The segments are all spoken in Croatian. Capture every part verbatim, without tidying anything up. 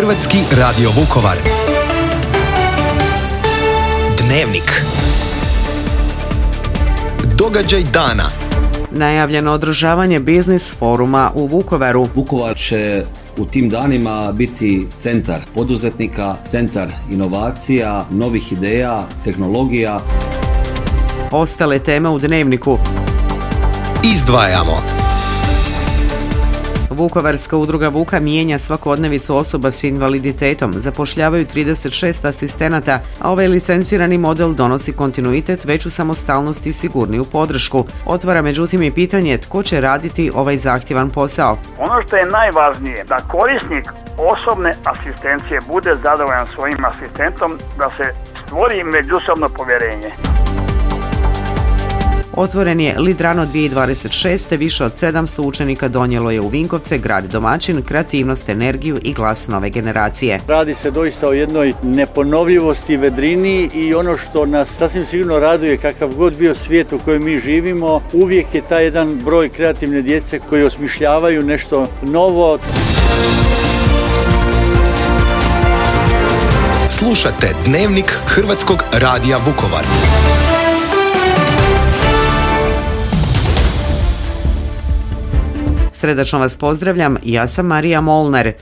Hrvatski radio Vukovar. Dnevnik. Događaj dana. Najavljeno održavanje biznis foruma u Vukovaru. Vukovar će u tim danima biti centar poduzetnika, centar inovacija, novih ideja, tehnologija. Ostale teme u Dnevniku. Izdvajamo. Vukovarska udruga Vuka mijenja svakodnevicu osoba s invaliditetom. Zapošljavaju trideset šest asistenata, a ovaj licencirani model donosi kontinuitet, veću samostalnost i sigurniju podršku. Otvara međutim i pitanje tko će raditi ovaj zahtjevan posao. Ono što je najvažnije, da korisnik osobne asistencije bude zadovoljan svojim asistentom, da se stvori međusobno povjerenje. Otvoren je Lidrano dvije tisuće dvadeset šeste. Više od sedamsto učenika donijelo je u Vinkovce, grad domaćin, kreativnost, energiju i glas nove generacije. Radi se doista o jednoj neponovljivosti, vedrini i ono što nas sasvim sigurno raduje, kakav god bio svijet u kojem mi živimo, uvijek je taj jedan broj kreativne djece koji osmišljavaju nešto novo. Slušate Dnevnik Hrvatskog radija Vukovar. Srdačno vas pozdravljam, ja sam Marija Molnar.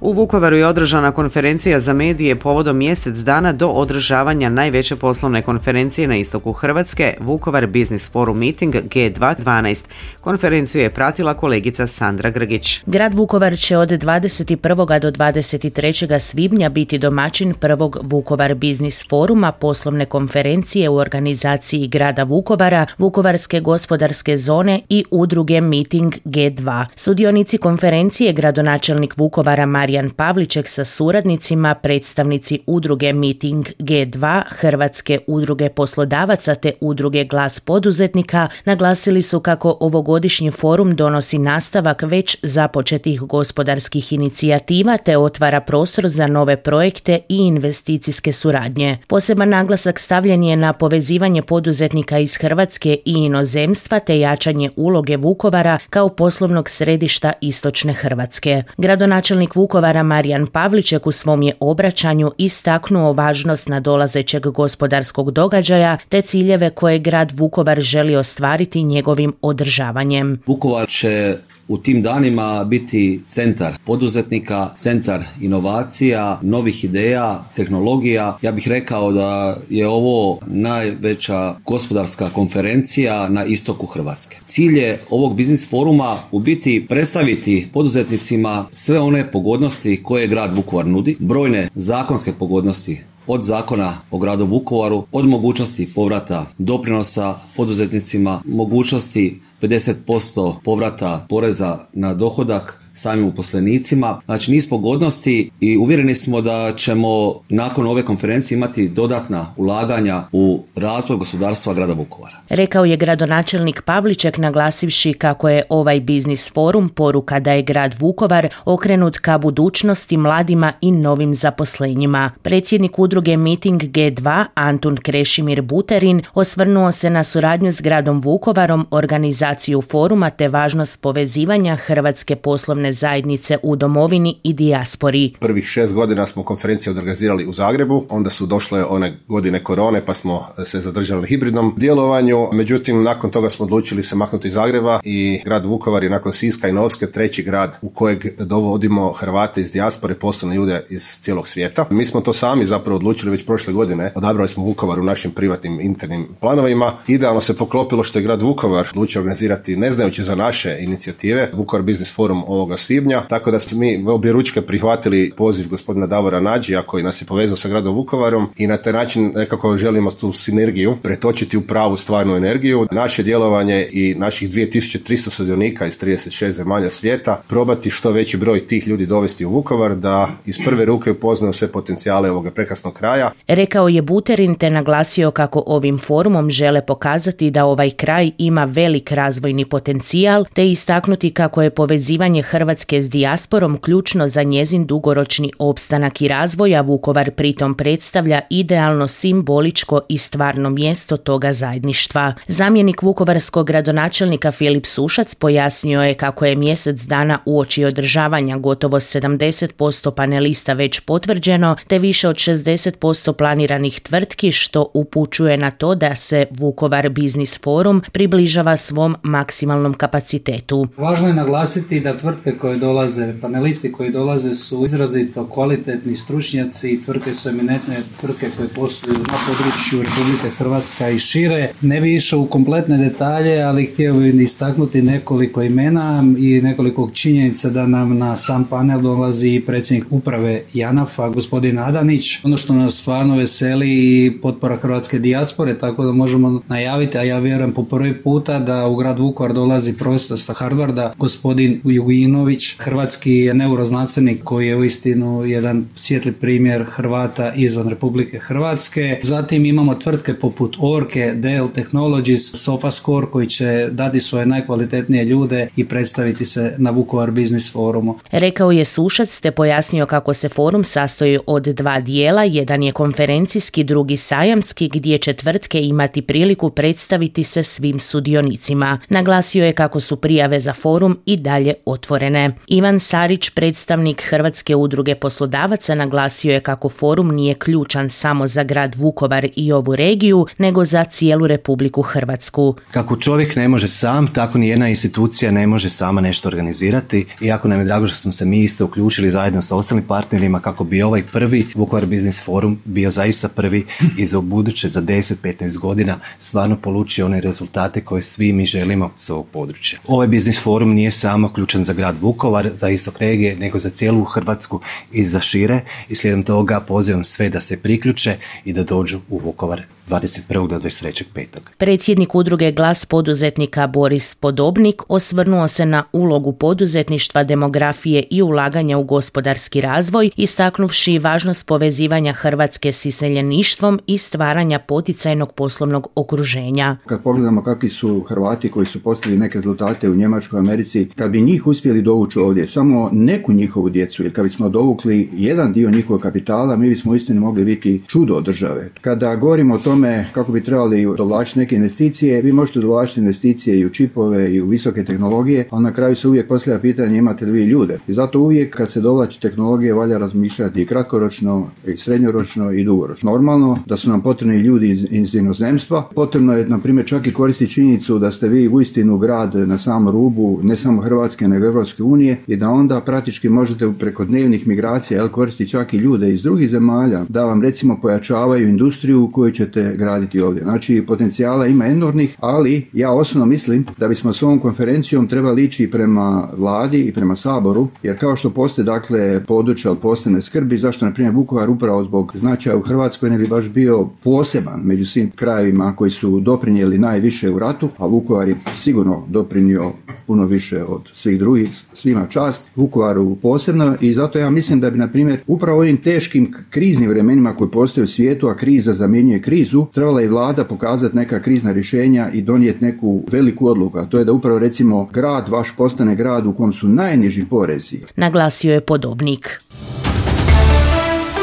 U Vukovaru je održana konferencija za medije povodom mjesec dana do održavanja najveće poslovne konferencije na istoku Hrvatske, Vukovar Business Forum Meeting G dva dvanaest. Konferenciju je pratila kolegica Sandra Grgić. Grad Vukovar će od dvadeset prvog do dvadeset trećeg svibnja biti domaćin prvog Vukovar Business Foruma, poslovne konferencije u organizaciji grada Vukovara, Vukovarske gospodarske zone i udruge Meeting G dva. Sudionici konferencije gradonačelnik Vukovara Marijan Pavliček sa suradnicima, predstavnici udruge Meeting G dva, Hrvatske udruge poslodavaca te udruge Glas poduzetnika naglasili su kako ovogodišnji forum donosi nastavak već započetih gospodarskih inicijativa te otvara prostor za nove projekte i investicijske suradnje. Poseban naglasak stavljen je na povezivanje poduzetnika iz Hrvatske i inozemstva te jačanje uloge Vukovara kao poslovnog središta istočne Hrvatske. Gradonačelnik Vukovara Marijan Pavliček u svom je obraćanju istaknuo važnost nadolazećeg gospodarskog događaja te ciljeve koje grad Vukovar želi ostvariti njegovim održavanjem. Vukovar će u tim danima biti centar poduzetnika, centar inovacija, novih ideja, tehnologija. Ja bih rekao da je ovo najveća gospodarska konferencija na istoku Hrvatske. Cilj je ovog biznis foruma u biti predstaviti poduzetnicima sve one pogodnosti koje grad Vukovar nudi, brojne zakonske pogodnosti od zakona o gradu Vukovaru, od mogućnosti povrata doprinosa poduzetnicima, mogućnosti pedeset posto povrata poreza na dohodak samim uposlenicima. Znači niz pogodnosti i uvjereni smo da ćemo nakon ove konferencije imati dodatna ulaganja u razvoj gospodarstva grada Vukovara. Rekao je gradonačelnik Pavliček naglasivši kako je ovaj biznis forum poruka da je grad Vukovar okrenut ka budućnosti, mladima i novim zaposlenjima. Predsjednik udruge Meeting G dva Antun Krešimir Buterin osvrnuo se na suradnju s gradom Vukovarom, organizaciju foruma te važnost povezivanja hrvatske poslovne zajednice u domovini i dijaspori. Prvih šest godina smo konferencije organizirali u Zagrebu, onda su došle one godine korone pa smo se zadržali na hibridnom djelovanju, međutim nakon toga smo odlučili se maknuti iz Zagreba i grad Vukovar je nakon Siska i Novske treći grad u kojeg dovodimo Hrvate iz dijaspore, poslovne ljude iz cijelog svijeta. Mi smo to sami zapravo odlučili već prošle godine, odabrali smo Vukovar u našim privatnim internim planovima. Idealno se poklopilo što je grad Vukovar odlučio organizirati, ne znajući za naše inicijative, Vukovar Business Forum ovoga svibnja, tako da smo mi objeručke prihvatili poziv gospodina Davora Nađija koji nas je povezao sa gradom Vukovarom i na taj način nekako želimo tu sinergiju pretočiti u pravu stvarnu energiju. Naše djelovanje i naših dvije tisuće tristo sudionika iz trideset šest zemalja svijeta probati što veći broj tih ljudi dovesti u Vukovar da iz prve ruke upoznaju sve potencijale ovoga prekrasnog kraja. Rekao je Buterin te naglasio kako ovim forumom žele pokazati da ovaj kraj ima velik razvojni potencijal te istaknuti kako je povezivanje Hrvatske Hrvatske s dijasporom ključno za njezin dugoročni opstanak i razvoj, a Vukovar pritom predstavlja idealno simboličko i stvarno mjesto toga zajedništva. Zamjenik vukovarskog gradonačelnika Filip Sušac pojasnio je kako je mjesec dana uoči održavanja gotovo sedamdeset posto panelista već potvrđeno, te više od šezdeset posto planiranih tvrtki, što upućuje na to da se Vukovar Biznis Forum približava svom maksimalnom kapacitetu. Važno je naglasiti da tvrtke koje dolaze, panelisti koji dolaze su izrazito kvalitetni stručnjaci i tvrtke su eminentne tvrtke koje posluju na području Republike Hrvatske i šire. Ne bi išao u kompletne detalje, ali htio bih istaknuti nekoliko imena i nekoliko činjenica da nam na sam panel dolazi predsjednik uprave JANAF-a, gospodin Adanić. Ono što nas stvarno veseli i potpora hrvatske dijaspore, tako da možemo najaviti, a ja vjerujem po prvi puta da u grad Vukovar dolazi profesor sa Harvarda, gospodin Juginović, hrvatski neuroznanstvenik koji je uistinu jedan svijetli primjer Hrvata izvan Republike Hrvatske. Zatim imamo tvrtke poput Orke, Dell Technologies, Sofascore koji će dati svoje najkvalitetnije ljude i predstaviti se na Vukovar Biznis Forumu. Rekao je Sušac te pojasnio kako se forum sastoji od dva dijela, jedan je konferencijski, drugi sajamski, gdje će tvrtke imati priliku predstaviti se svim sudionicima. Naglasio je kako su prijave za forum i dalje otvorene. Ivan Sarić, predstavnik Hrvatske udruge poslodavaca, naglasio je kako forum nije ključan samo za grad Vukovar i ovu regiju, nego za cijelu Republiku Hrvatsku. Kako čovjek ne može sam, tako ni jedna institucija ne može sama nešto organizirati. Iako nam je drago što smo se mi isto uključili zajedno sa ostalim partnerima kako bi ovaj prvi Vukovar Biznis Forum bio zaista prvi i za buduće za deset do petnaest godina stvarno polučio one rezultate koje svi mi želimo s ovog područja. Ovaj Biznis Forum nije samo ključan za grad Vukovar, za istok regije, nego za cijelu Hrvatsku i za šire, i slijedom toga pozivam sve da se priključe i da dođu u Vukovar dvadeset prvog do dvadeset trećeg petog Predsjednik udruge Glas poduzetnika Boris Podobnik osvrnuo se na ulogu poduzetništva, demografije i ulaganja u gospodarski razvoj, istaknuvši važnost povezivanja Hrvatske s iseljeništvom i stvaranja poticajnog poslovnog okruženja. Kad pogledamo kakvi su Hrvati koji su postigli neke rezultate u Njemačkoj, Americi, kad bi njih uspjeli dovući ovdje, samo neku njihovu djecu, ili kad bismo dovukli jedan dio njihovog kapitala, mi bismo uistinu mogli biti čudo od države. Kada govorimo o tome kako bi trebali dovlačiti neke investicije, vi možete dovlačiti investicije i u čipove i u visoke tehnologije, ali na kraju se uvijek postavlja pitanje imate li vi ljude. I zato uvijek kad se dovlači tehnologije valja razmišljati i kratkoročno, i srednjoročno i dugoročno. Normalno da su nam potrebni ljudi iz, iz inozemstva. Potrebno je, na primjer, čak i koristiti činjenicu da ste vi uistinu grad na samom rubu, ne samo Hrvatske, nego Evropske unije, i da onda praktički možete preko dnevnih migracija jel, koristiti čak i ljude iz drugih zemalja, da vam recimo pojačavaju industriju koju ćete graditi ovdje. Znači, potencijala ima enormnih, ali ja osobno mislim da bismo s ovom konferencijom trebali ići prema vladi i prema Saboru, jer kao što postoje dakle područja od posebne skrbi, zašto na primjer Vukovar upravo zbog značaja u Hrvatskoj ne bi baš bio poseban među svim krajevima koji su doprinijeli najviše u ratu, a Vukovar je sigurno doprinio puno više od svih drugih, svima čast, Vukovaru posebno, i zato ja mislim da bi na primjer upravo ovim teškim kriznim vremenima koji postoje u svijetu, a kriza zamjenjuje krizu, trebala i vlada pokazati neka krizna rješenja i donijeti neku veliku odluku, a to je da upravo recimo grad vaš postane grad u kom su najniži porezi. Naglasio je Podobnik.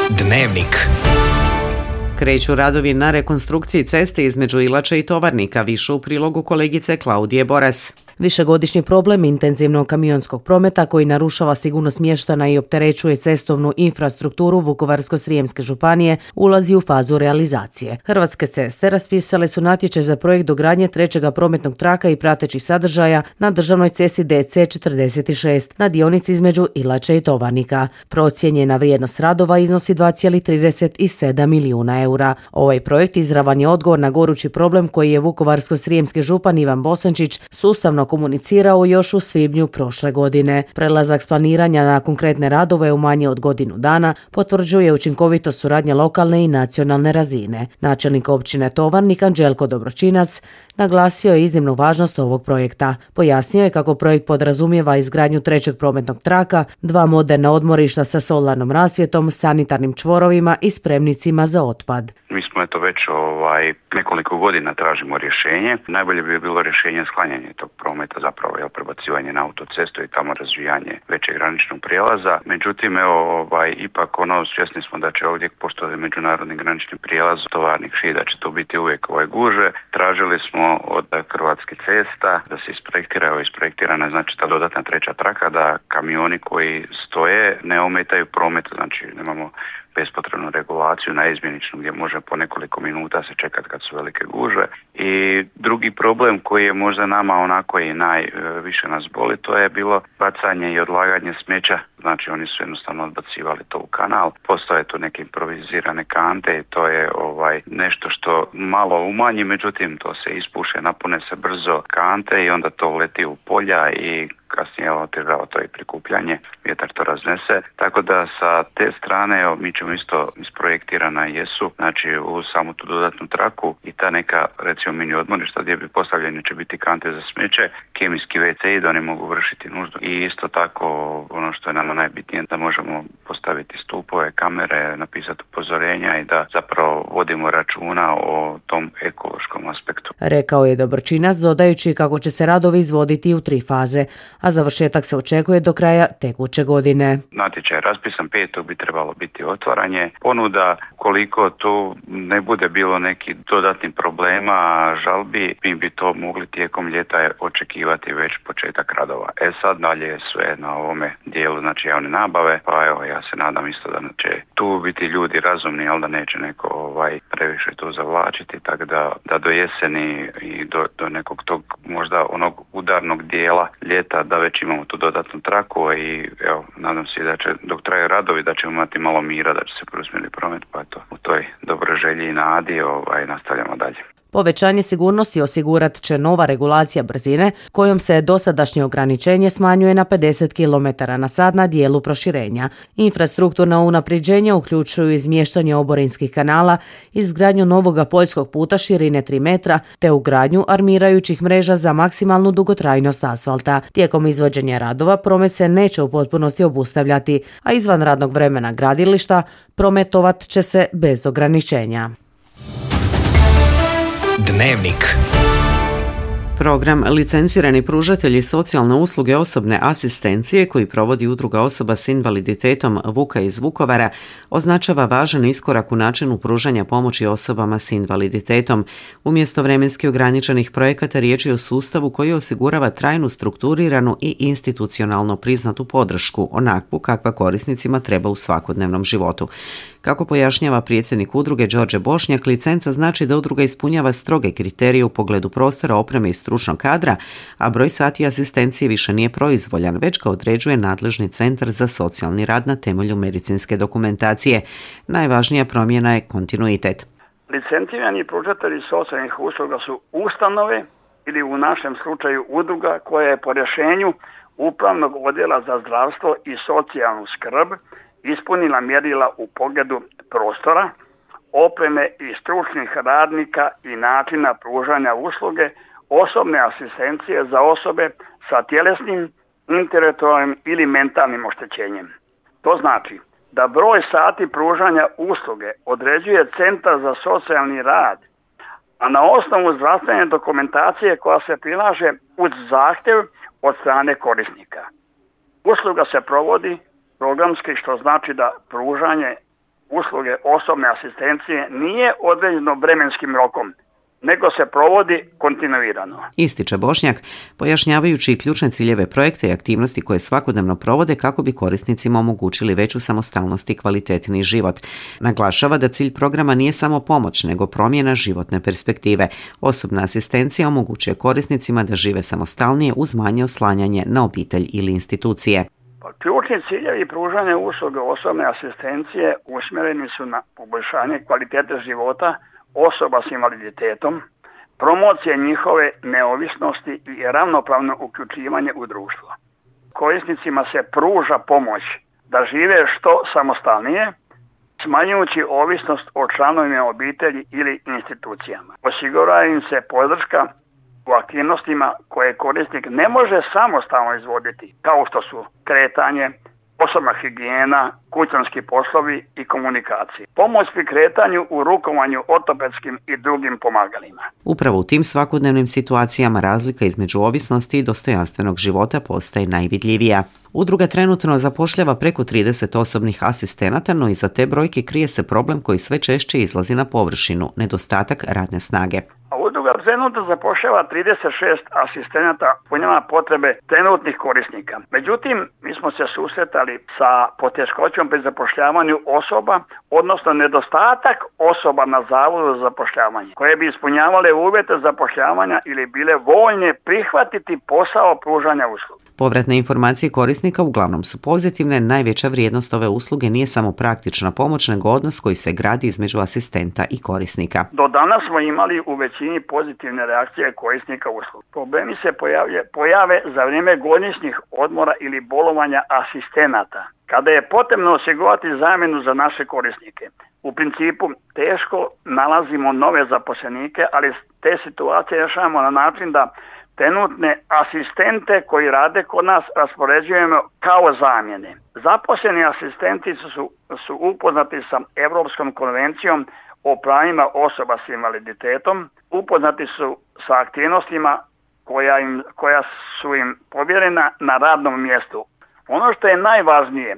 Dnevnik. Kreću radovi na rekonstrukciji ceste između Ilače i Tovarnika, više u prilogu kolegice Klaudije Boras. Višegodišnji problem intenzivnog kamionskog prometa koji narušava sigurnost mještana i opterećuje cestovnu infrastrukturu Vukovarsko-srijemske županije ulazi u fazu realizacije. Hrvatske ceste raspisale su natječaj za projekt dogradnje trećega prometnog traka i pratećih sadržaja na državnoj cesti D C četrdeset šest na dionici između Ilače i Tovarnika. Procijenjena vrijednost radova iznosi dva zarez trideset sedam milijuna eura. Ovaj projekt izravan je odgovor na gorući problem koji je Vukovarsko-srijemski župan Ivan Bosančić sustavno komunicirao još u svibnju prošle godine. Prelazak s planiranja na konkretne radove u manje od godinu dana potvrđuje učinkovitost suradnje lokalne i nacionalne razine. Načelnik općine Tovarnik Anđelko Dobročinac naglasio je iznimnu važnost ovog projekta. Pojasnio je kako projekt podrazumijeva izgradnju trećeg prometnog traka, dva moderna odmorišta sa solarnom rasvjetom, sanitarnim čvorovima i spremnicima za otpad. Mi smo eto već ovaj, nekoliko godina tražimo rješenje. Najbolje bi bilo rješenje sklanjanje tog prometa, zapravo je prebacivanje na autocestu i tamo razvijanje većeg graničnog prijelaza. Međutim, evo, ovaj, ipak ono, svjesni smo da će ovdje postoji međunarodni granični prijelaz tovarnih šida, da će to biti uvijek ovaj guže. Tražili smo od Hrvatskih cesta da se isprojektira, evo isprojektirana znači ta dodatna treća traka, da kamioni koji stoje ne ometaju promet, znači nemamo bespotrebnu regulaciju na izmjeničnu gdje može po nekoliko minuta se čekati kad su velike gužve. I drugi problem koji je možda nama onako i najviše nas boli, to je bilo bacanje i odlaganje smeća. Znači oni su jednostavno odbacivali to u kanal. Postoje tu neke improvizirane kante i to je ovaj nešto što malo umanji, međutim to se ispuše, napune se brzo kante i onda to leti u polja i kasnije otežava to i prikupljanje, vjetar to raznese. Tako da sa te strane evo, mi ćemo isto isprojektirana jesu, znači u samu tu dodatnu traku i ta neka recimo mini odmorišta gdje bi postavljeni će biti kante za smeće, kemijski ve ce i da oni mogu vršiti nuždu. I isto tako ono što je nama najbitnije da možemo postaviti stupove, kamere, napisati upozorenja i da zapravo vodimo računa o tom ekološkom aspektu. Rekao je Dobročinac dodajući kako će se radovi izvoditi u tri faze, a završetak se očekuje do kraja tekuće godine. Natječaj je raspisan, petog bi trebalo biti otvaranje ponuda. Koliko tu ne bude bilo neki dodatnih problema, žalbi, mi bi to mogli tijekom ljeta očekivati već početak radova. E sad dalje je sve na ovome dijelu, znači javne nabave, pa evo ja se nadam isto da će tu biti ljudi razumni, ali da neće neko ovaj, previše tu zavlačiti, tako da, da do jeseni i do, do nekog tog možda onog udarnog dijela ljeta da već imamo tu dodatnu traku i evo, nadam se da će dok traju radovi da ćemo imati malo mira, da će se preusmjeriti promet, pa eto, u toj dobroj želji i nadi ovaj, nastavljamo dalje. Povećanje sigurnosti osigurat će nova regulacija brzine kojom se dosadašnje ograničenje smanjuje na pedeset kilometara na sat na dijelu proširenja. Infrastrukturna unapređenja uključuju izmještanje oborinskih kanala, izgradnju novoga poljskog puta širine tri metra te ugradnju armirajućih mreža za maksimalnu dugotrajnost asfalta. Tijekom izvođenja radova promet se neće u potpunosti obustavljati, a izvan radnog vremena gradilišta prometovat će se bez ograničenja. Dnevnik. Program Licencirani pružatelji socijalne usluge osobne asistencije koji provodi Udruga osoba s invaliditetom Vuka iz Vukovara označava važan iskorak u načinu pružanja pomoći osobama s invaliditetom. Umjesto vremenski ograničenih projekata riječ je o sustavu koji osigurava trajnu, strukturiranu i institucionalno priznatu podršku, onakvu kakva korisnicima treba u svakodnevnom životu. Kako pojašnjava predsjednik udruge Đorđe Bošnjak, licenca znači da udruga ispunjava stroge kriterije u pogledu prostora, opreme i stručnog kadra, a broj sati asistencije više nije proizvoljan, već ga određuje nadležni centar za socijalni rad na temelju medicinske dokumentacije. Najvažnija promjena je kontinuitet. Licencirani pružatelji socijalnih usluga su ustanove ili u našem slučaju udruga koja je po rješenju Upravnog odjela za zdravstvo i socijalnu skrb ispunila mjerila u pogledu prostora, opreme i stručnih radnika i načina pružanja usluge osobne asistencije za osobe sa tjelesnim, intelektualnim ili mentalnim oštećenjem. To znači da broj sati pružanja usluge određuje Centar za socijalni rad, a na osnovu zdravstvene dokumentacije koja se prilaže uz zahtjev od strane korisnika. Usluga se provodi programski, što znači da pružanje usluge osobne asistencije nije određeno vremenskim rokom, nego se provodi kontinuirano. Ističe Bošnjak, pojašnjavajući ključne ciljeve projekta i aktivnosti koje svakodnevno provode kako bi korisnicima omogućili veću samostalnost i kvalitetniji život. Naglašava da cilj programa nije samo pomoć, nego promjena životne perspektive. Osobna asistencija omogućuje korisnicima da žive samostalnije uz manje oslanjanje na obitelj ili institucije. Ključni ciljevi pružanja usluge osobne asistencije usmjereni su na poboljšanje kvalitete života osoba s invaliditetom, promocije njihove neovisnosti i ravnopravno uključivanje u društvo. Korisnicima se pruža pomoć da žive što samostalnije, smanjujući ovisnost o članovima obitelji ili institucijama. Osigurava im se podrška u aktivnostima koje korisnik ne može samostalno izvoditi, kao što su kretanje, osobna higijena, kućanski poslovi i komunikacije. Pomoć pri kretanju u rukovanju ortopedskim i drugim pomagalima. Upravo u tim svakodnevnim situacijama razlika između ovisnosti i dostojanstvenog života postaje najvidljivija. Udruga trenutno zapošljava preko trideset osobnih asistenata, no iza te brojke krije se problem koji sve češće izlazi na površinu, nedostatak radne snage. A udruga trenutno zapošljava trideset šest asistenata punjava potrebe trenutnih korisnika. Međutim, mi smo se susretali sa poteškoćom pri zapošljavanju osoba, odnosno nedostatak osoba na zavodu za zapošljavanje, koje bi ispunjavale uvjete zapošljavanja ili bile voljne prihvatiti posao pružanja usluga. Povratne informacije korisnika uglavnom su pozitivne, najveća vrijednost ove usluge nije samo praktična pomoć, nego odnos koji se gradi između asistenta i korisnika. Do danas smo imali u većini pozitivne reakcije korisnika usluga. Problemi se pojavlje, pojave za vrijeme godišnjih odmora ili bolovanja asistenata, kada je potrebno osigurati zamjenu za naše korisnike. U principu teško nalazimo nove zaposlenike, ali te situacije rješavamo na način da trenutne asistente koji rade kod nas raspoređujemo kao zamjene. Zaposleni asistenti su, su upoznati sa Europskom konvencijom o pravima osoba s invaliditetom, upoznati su sa aktivnostima koja, im, koja su im povjerena na radnom mjestu. Ono što je najvažnije,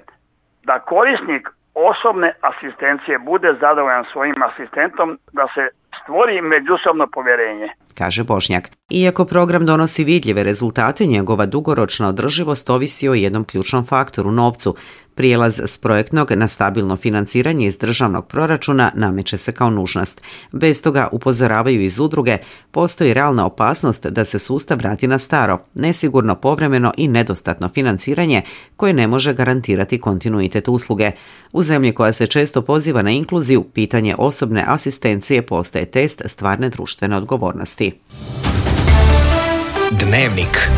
da korisnik osobne asistencije bude zadovoljan svojim asistentom, da se stvori međusobno povjerenje, kaže Bošnjak. Iako program donosi vidljive rezultate, njegova dugoročna održivost ovisi o jednom ključnom faktoru, novcu. Prijelaz s projektnog na stabilno financiranje iz državnog proračuna nameće se kao nužnost. Bez toga, upozoravaju iz udruge, postoji realna opasnost da se sustav vrati na staro, nesigurno, povremeno i nedostatno financiranje koje ne može garantirati kontinuitet usluge. U zemlji koja se često poziva na inkluziju, pitanje osobne asistencije postaje test stvarne društvene odgovornosti. Dnevnik.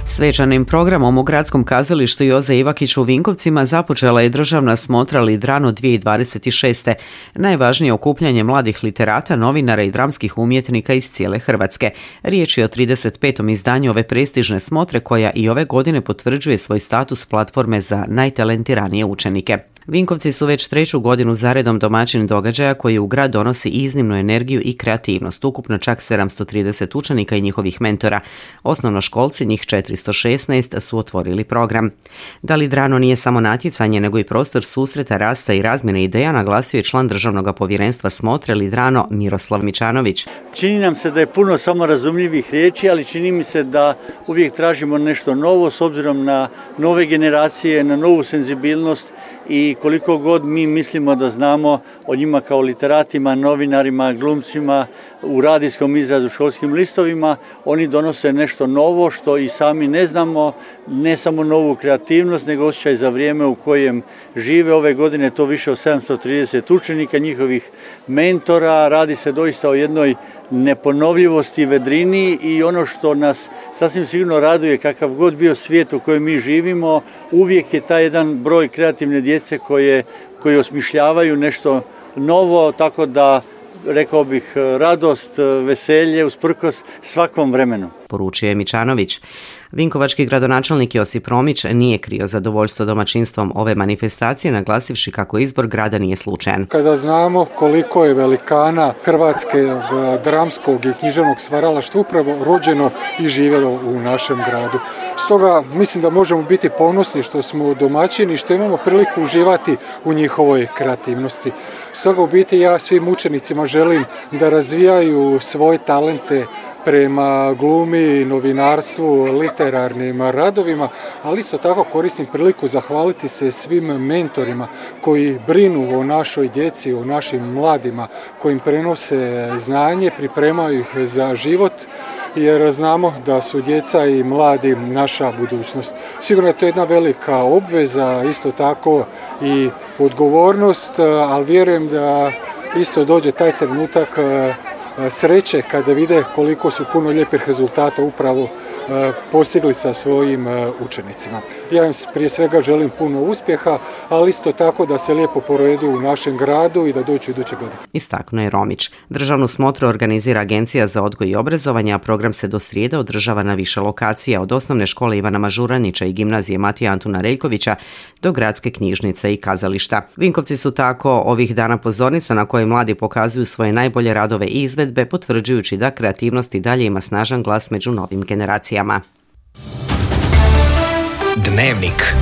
Svečanim programom u Gradskom kazalištu Joze Ivakića u Vinkovcima započela je državna smotra Lidrano dvije tisuće dvadeset šeste. Najvažnije okupljanje mladih literata, novinara i dramskih umjetnika iz cijele Hrvatske. Riječ je o trideset petom izdanju ove prestižne smotre koja i ove godine potvrđuje svoj status platforme za najtalentiranije učenike. Vinkovci su već treću godinu zaredom domaćin događaja koji u grad donosi iznimnu energiju i kreativnost. Ukupno čak sedamsto trideset učenika i njihovih mentora. Osnovnoškolci, njih četiristo šesnaest, su otvorili program. Da Lidrano nije samo natjecanje, nego i prostor susreta, rasta i razmjene ideja, naglasio je član državnog povjerenstva smotre Lidrano Miroslav Mičanović. Čini nam se da je puno samorazumljivih riječi, ali čini mi se da uvijek tražimo nešto novo s obzirom na nove generacije, na novu senzibilnost i koliko god mi mislimo da znamo o njima kao literatima, novinarima, glumcima, u radijskom izrazu, školskim listovima, oni donose nešto novo što i sami ne znamo, ne samo novu kreativnost, nego osjećaj za vrijeme u kojem žive. Ove godine to više od sedamsto trideset učenika, njihovih mentora, radi se doista o jednoj neponovljivosti, vedrini i ono što nas sasvim sigurno raduje, kakav god bio svijet u kojem mi živimo, uvijek je taj jedan broj kreativne djece koje, koje osmišljavaju nešto novo, tako da rekao bih radost, veselje usprkos svakom vremenu. Poručio je Mičanović. Vinkovački gradonačelnik Josip Romić nije krio zadovoljstvo domaćinstvom ove manifestacije, naglasivši kako izbor grada nije slučajan. Kada znamo koliko je velikana hrvatskog dramskog i književnog stvaralaštva upravo rođeno i živjelo u našem gradu. Stoga mislim da možemo biti ponosni što smo domaćini i što imamo priliku uživati u njihovoj kreativnosti. Stoga u biti ja svim učenicima želim da razvijaju svoje talente prema glumi, novinarstvu, literarnim radovima, ali isto tako koristim priliku zahvaliti se svim mentorima koji brinu o našoj djeci, o našim mladima, koji im prenose znanje, pripremaju ih za život, jer znamo da su djeca i mladi naša budućnost. Sigurno je to jedna velika obveza, isto tako i odgovornost, ali vjerujem da isto dođe taj trenutak sreće kada vide koliko su puno lijepih rezultata upravo postigli sa svojim učenicima. Ja im prije svega želim puno uspjeha, ali isto tako da se lijepo provedu u našem gradu i da dođu iduće godine. Istaknuo je Romić. Državnu smotru organizira Agencija za odgoj i obrazovanje, a program se do srijede održava na više lokacija, od osnovne škole Ivana Mažuranića i gimnazije Matija Antuna Reljkovića do gradske knjižnice i kazališta. Vinkovci su tako ovih dana pozornica na kojoj mladi pokazuju svoje najbolje radove i izvedbe, potvrđujući da kreativnost i dalje ima snažan glas među novim generacijama. Dnevnik.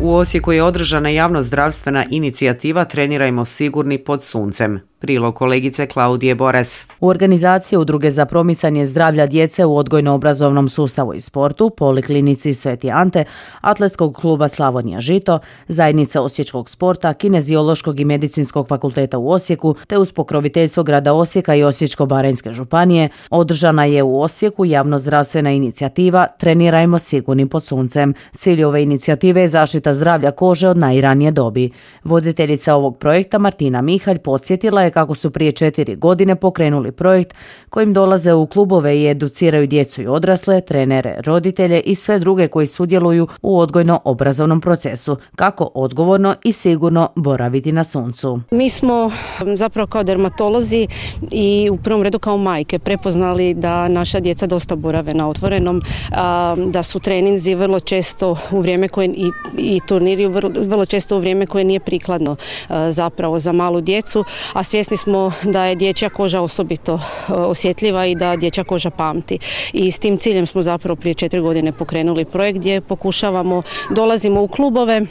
U Osijeku je održana javno-zdravstvena inicijativa Trenirajmo sigurni pod suncem. Prilog kolegice Klaudije Boras. U organizaciji Udruge za promicanje zdravlja djece u odgojno-obrazovnom sustavu i sportu, Poliklinici Sveti Ante, Atletskog kluba Slavonija Žito, Zajednica osječkog sporta, Kineziološkog i medicinskog fakulteta u Osijeku, te uz pokroviteljstvo grada Osijeka i Osječko-baranjske županije, održana je u Osijeku javno-zdravstvena inicijativa Trenirajmo sigurni pod suncem. Cilj ove inicijative je zaštita zdravlja kože od najranije dobi. Voditeljica ovog projekta Martina Mihalj podsjetila je kako su prije četiri godine pokrenuli projekt kojim dolaze u klubove i educiraju djecu i odrasle, trenere, roditelje i sve druge koji sudjeluju u odgojno-obrazovnom procesu, kako odgovorno i sigurno boraviti na suncu. Mi smo zapravo kao dermatolozi i u prvom redu kao majke prepoznali da naša djeca dosta borave na otvorenom, da su treninzi vrlo često u vrijeme koje i, i turniri vrlo, vrlo često u vrijeme koje nije prikladno zapravo za malu djecu, a svjesni smo da je dječja koža osobito osjetljiva i da dječja koža pamti. I s tim ciljem smo zapravo prije četiri godine pokrenuli projekt gdje pokušavamo, dolazimo u klubove,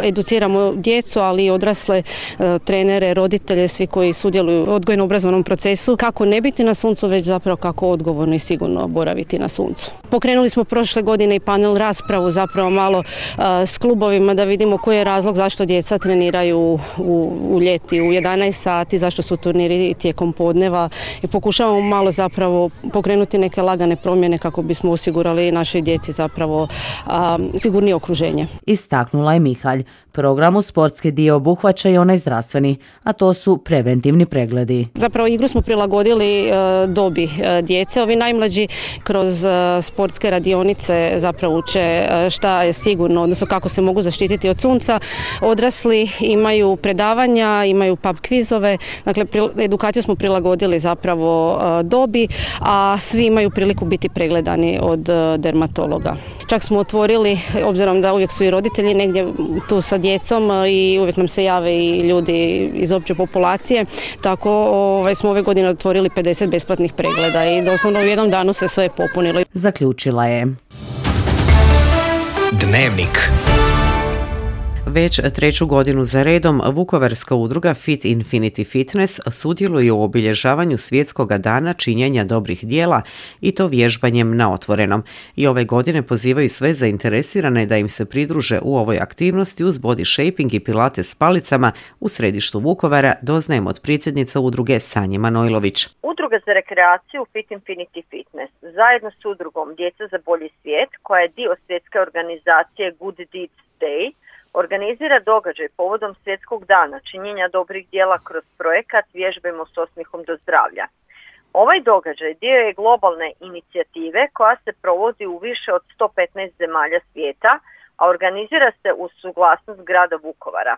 educiramo djecu, ali i odrasle, trenere, roditelje, svi koji sudjeluju u odgojno-obrazovnom procesu, kako ne biti na suncu, već zapravo kako odgovorno i sigurno boraviti na suncu. Pokrenuli smo prošle godine i panel raspravu zapravo malo s klubovima da vidimo koji je razlog zašto djeca treniraju u, u ljeti u jedanaest sati, zašto su turniri tijekom podneva i pokušavamo malo zapravo pokrenuti neke lagane promjene kako bismo osigurali našoj djeci zapravo a, sigurnije okruženje. Istaknula je Mihalj. Program u sportski dio obuhvaća i onaj zdravstveni, a to su preventivni pregledi. Zapravo igru smo prilagodili e, dobi e, djece. Ovi najmlađi kroz e, sportske radionice zapravo uče e, šta je sigurno, odnosno kako se mogu zaštititi od sunca. Odrasli imaju predavanja, imaju pub kvizove, dakle pri, edukaciju smo prilagodili zapravo e, dobi, a svi imaju priliku biti pregledani od e, dermatologa. Čak smo otvorili, obzirom da uvijek su i roditelji negdje tu sa djecom i uvijek nam se jave i ljudi iz opće populacije, tako ovaj, smo ove godine otvorili pedeset besplatnih pregleda i doslovno u jednom danu se sve popunilo. Zaključila je. Dnevnik. Već treću godinu za redom vukovarska udruga Fit Infinity Fitness sudjeluje u obilježavanju svjetskog dana činjenja dobrih djela i to vježbanjem na otvorenom. I ove godine pozivaju sve zainteresirane da im se pridruže u ovoj aktivnosti uz body shaping i pilates s palicama u središtu Vukovara, doznajemo od predsjednice udruge Sanje Manojlović. Udruga za rekreaciju Fit Infinity Fitness zajedno s udrugom Djeca za bolji svijet, koja je dio svjetske organizacije Good Deeds Day, organizira događaj povodom svjetskog dana činjenja dobrih djela kroz projekat Vježbajmo s osmijehom do zdravlja. Ovaj događaj dio je globalne inicijative koja se provodi u više od sto petnaest zemalja svijeta, a organizira se uz suglasnost grada Vukovara.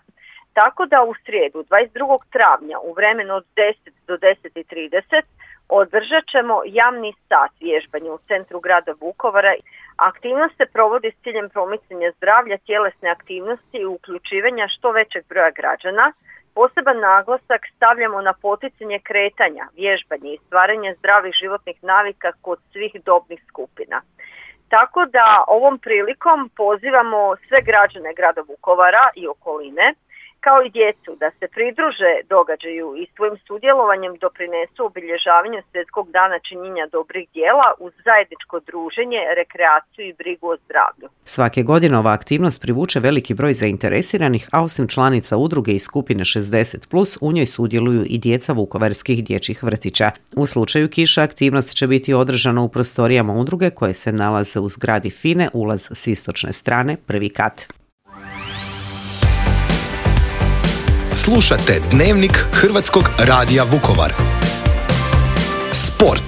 Tako da u srijedu dvadeset drugog travnja u vremenu od deset do deset i trideset održat ćemo javni sat vježbanja u centru grada Vukovara. Aktivnost se provodi s ciljem promicanja zdravlja, tjelesne aktivnosti i uključivanja što većeg broja građana. Poseban naglasak stavljamo na poticanje kretanja, vježbanje i stvaranje zdravih životnih navika kod svih dobnih skupina. Tako da ovom prilikom pozivamo sve građane grada Vukovara i okoline, kao i djecu, da se pridruže događaju i svojim sudjelovanjem doprinesu obilježavanju svjetskog dana činjenja dobrih djela uz zajedničko druženje, rekreaciju i brigu o zdravlju. Svake godine ova aktivnost privuče veliki broj zainteresiranih, a osim članica udruge iz skupine šezdeset plus, u njoj sudjeluju i djeca vukovarskih dječjih vrtića. U slučaju kiša aktivnost će biti održana u prostorijama udruge koje se nalaze u zgradi Fine, ulaz s istočne strane, prvi kat. Slušate Dnevnik Hrvatskog radija Vukovar. Sport.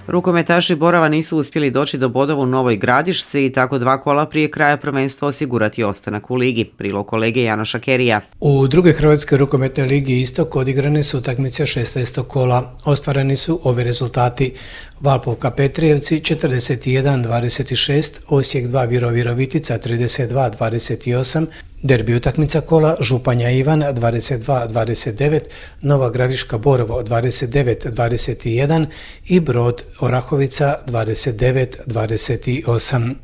Rukometaši Borova nisu uspjeli doći do bodova u Novoj Gradišci i tako dva kola prije kraja prvenstva osigurati ostanak u ligi. Prilog kolege Janoša Kerija. U drugoj Hrvatskoj rukometnoj ligi Istok odigrane su utakmice šesnaestog kola. Ostvareni su ovi rezultati: Valpovka Petrijevci četrdeset jedan dvadeset šest, Osijek dva Viro Virovitica trideset dva dvadeset osam, derbi utakmica kola Županja Ivan dvadeset dva dvadeset devet, Nova Gradiška Borovo dvadeset devet dvadeset jedan i Brod Orahovica dvadeset devet dvadeset osam.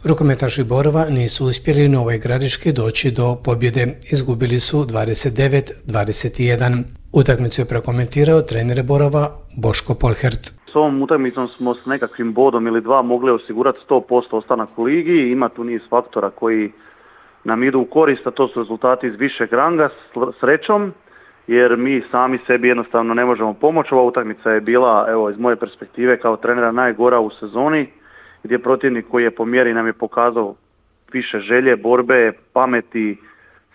Rukometaši Borova nisu uspjeli u Novoj Gradiški doći do pobjede, izgubili su dvadeset devet dvadeset jedan. Utakmicu je prokomentirao trener Borova Boško Polhert. S ovom utakmicom smo s nekakvim bodom ili dva mogli osigurati sto posto ostanak u ligi. Ima tu niz faktora koji nam idu u korist, a to su rezultati iz višeg ranga srećom, jer mi sami sebi jednostavno ne možemo pomoći. Ova utakmica je bila, evo, iz moje perspektive kao trenera najgora u sezoni, gdje protivnik koji je po mjeri nam je pokazao više želje, borbe, pameti,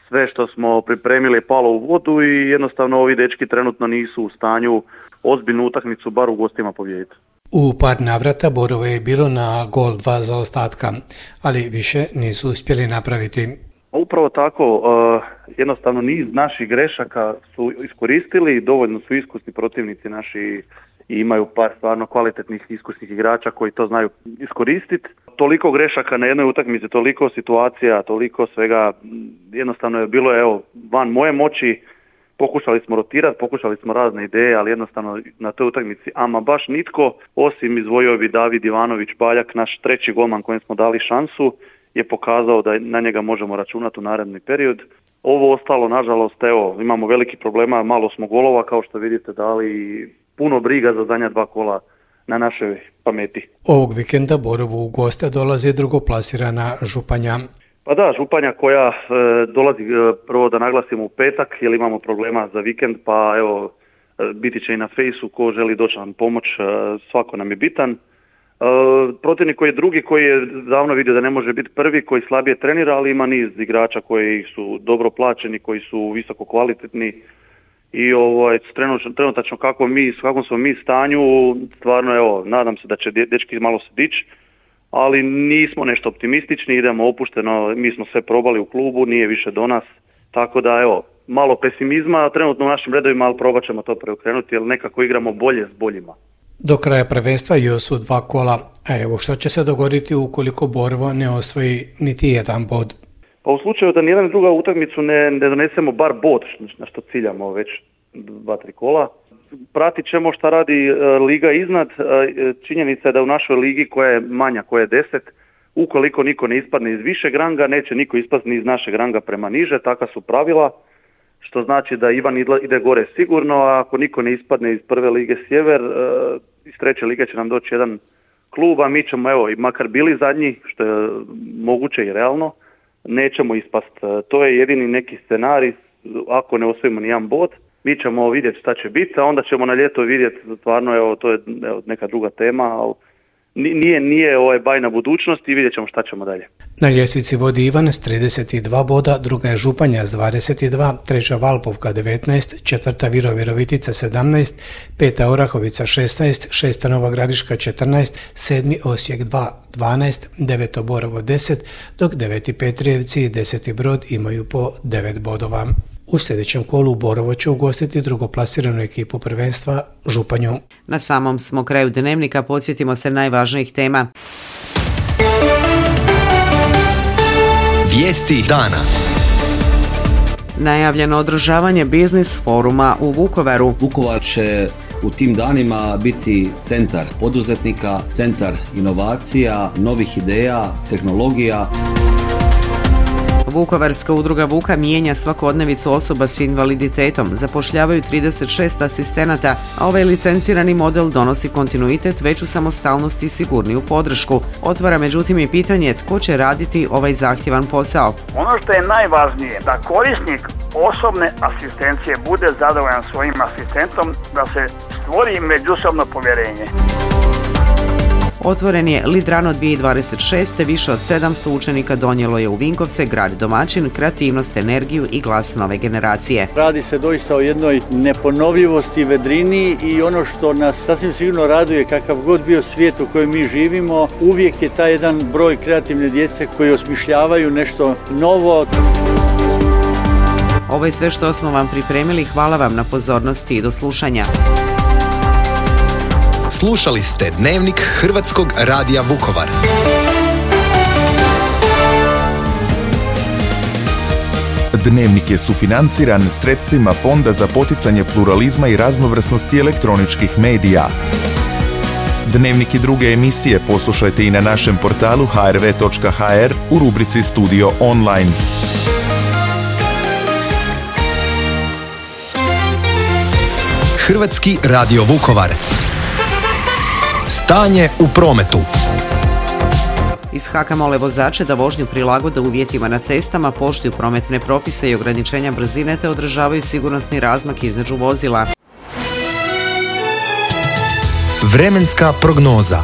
sve što smo pripremili je palo u vodu i jednostavno ovi dečki trenutno nisu u stanju ozbiljnu utakmicu bar u gostima pobijediti. U par navrata Borovo je bilo na gol dva zaostatka, ali više nisu uspjeli napraviti. Upravo tako, jednostavno niz naših grešaka su iskoristili, dovoljno su iskusni protivnici naši i imaju par stvarno kvalitetnih iskusnih igrača koji to znaju iskoristiti. Toliko grešaka na jednoj utakmici, toliko situacija, toliko svega, jednostavno je bilo evo van moje moći. Pokušali smo rotirati, pokušali smo razne ideje, ali jednostavno na toj utakmici ama baš nitko, osim izdvojio bi David Ivanović Baljak, naš treći golman kojem smo dali šansu, je pokazao da na njega možemo računati u naredni period. Ovo ostalo, nažalost, evo, imamo veliki problema, malo smo golova, kao što vidite, dali puno briga za zadnja dva kola na našoj pameti. Ovog vikenda Borovu u goste dolazi drugoplasirana Županja. Pa da, Županja koja e, dolazi, e, prvo da naglasimo u petak, jer imamo problema za vikend, pa evo, e, biti će i na fejsu, ko želi doći nam pomoć, e, svako nam je bitan. E, protivnik koji je drugi, koji je davno vidio da ne može biti prvi, koji slabije trenira, ali ima niz igrača koji su dobro plaćeni, koji su visoko kvalitetni i ovaj, trenutačno kako mi, s kakvom smo mi stanju, stvarno evo, nadam se da će dečki malo se dići, ali nismo nešto optimistični, idemo opušteno, mi smo sve probali u klubu, nije više do nas, tako da evo, malo pesimizma trenutno u našim redovima, ali probat ćemo to preokrenuti jer nekako igramo bolje s boljima. Do kraja prvenstva još su dva kola, a evo što će se dogoditi ukoliko Borovo ne osvoji niti jedan bod? Pa u slučaju da nijedan druga utakmicu ne, ne donesemo bar bod, na što ciljamo već dva, tri kola, pratit ćemo šta radi e, liga iznad. E, činjenica je da u našoj ligi koja je manja, koja je deset, ukoliko niko ne ispadne iz višeg ranga, neće niko ispasti ni iz našeg ranga prema niže, taka su pravila, što znači da Ivan ide gore sigurno, a ako niko ne ispadne iz prve lige Sjever, e, iz treće lige će nam doći jedan klub, a mi ćemo, evo, i makar bili zadnji, što je moguće i realno, nećemo ispast. E, to je jedini neki scenarij, ako ne osvojimo nijedan bod. Mi ćemo vidjeti šta će biti, a onda ćemo na ljeto vidjeti, stvarno, evo, to je evo, neka druga tema, ali nije, nije ovaj bajna budućnost i vidjet ćemo šta ćemo dalje. Na ljestvici vodi Ivan s trideset dva boda, druga je Županja s dvadeset dva, treća Valpovka devetnaest, četvrta Viro Virovitica sedamnaest, peta Orahovica šesnaest, šesta Nova Gradiška četrnaest, sedmi Osijek dva dvanaest, deveto Borovo deset, dok deveti Petrijevci i deseti Brod imaju po devet bodova. U sljedećem kolu Borovo će ugostiti drugoplasiranu ekipu prvenstva Županju. Na samom smo kraju dnevnika, podsjetimo se najvažnijih tema. Vijesti dana. Najavljeno održavanje biznis foruma u Vukovaru. Vukovar će u tim danima biti centar poduzetnika, centar inovacija, novih ideja, tehnologija. Vukovarska udruga Vuka mijenja svakodnevicu osoba s invaliditetom, zapošljavaju trideset šest asistenata, a ovaj licencirani model donosi kontinuitet, veću samostalnost i sigurniju podršku. Otvara međutim i pitanje tko će raditi ovaj zahtjevan posao. Ono što je najvažnije, da korisnik osobne asistencije bude zadovoljan svojim asistentom, da se stvori međusobno povjerenje. Otvoren je Lidrano dvije tisuće dvadeset šeste. Više od sedamsto učenika donijelo je u Vinkovce, grad domaćin, kreativnost, energiju i glas nove generacije. Radi se doista o jednoj neponovljivosti, vedrini i ono što nas sasvim sigurno raduje, kakav god bio svijet u kojem mi živimo, uvijek je taj jedan broj kreativne djece koji osmišljavaju nešto novo. Ovo je sve što smo vam pripremili. Hvala vam na pozornosti i do slušanja. Slušali ste Dnevnik Hrvatskog radija Vukovar. Dnevnik je sufinanciran sredstvima Fonda za poticanje pluralizma i raznovrsnosti elektroničkih medija. Dnevnik i druge emisije poslušajte i na našem portalu h r v točka h r u rubrici Studio Online. Hrvatski radio Vukovar. Stanje u prometu. Iz Haka mole vozače da vožnju prilagode uvjetima na cestama, poštuju prometne propise i ograničenja brzine te održavaju sigurnosni razmak između vozila. Vremenska prognoza.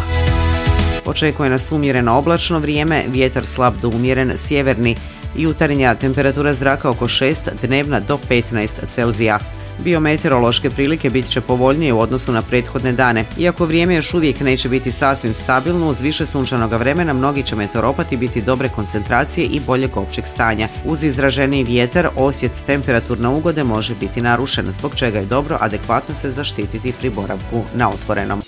Očekuje nas umjereno oblačno vrijeme, vjetar slab do umjeren sjeverni, jutarnja temperatura zraka oko šest, dnevna do petnaest Celzija. Biometeorološke prilike bit će povoljnije u odnosu na prethodne dane. Iako vrijeme još uvijek neće biti sasvim stabilno, uz više sunčanog vremena mnogi će meteoropati biti dobre koncentracije i boljeg općeg stanja. Uz izraženiji vjetar, osjet temperaturne ugode može biti narušen, zbog čega je dobro adekvatno se zaštititi pri boravku na otvorenom.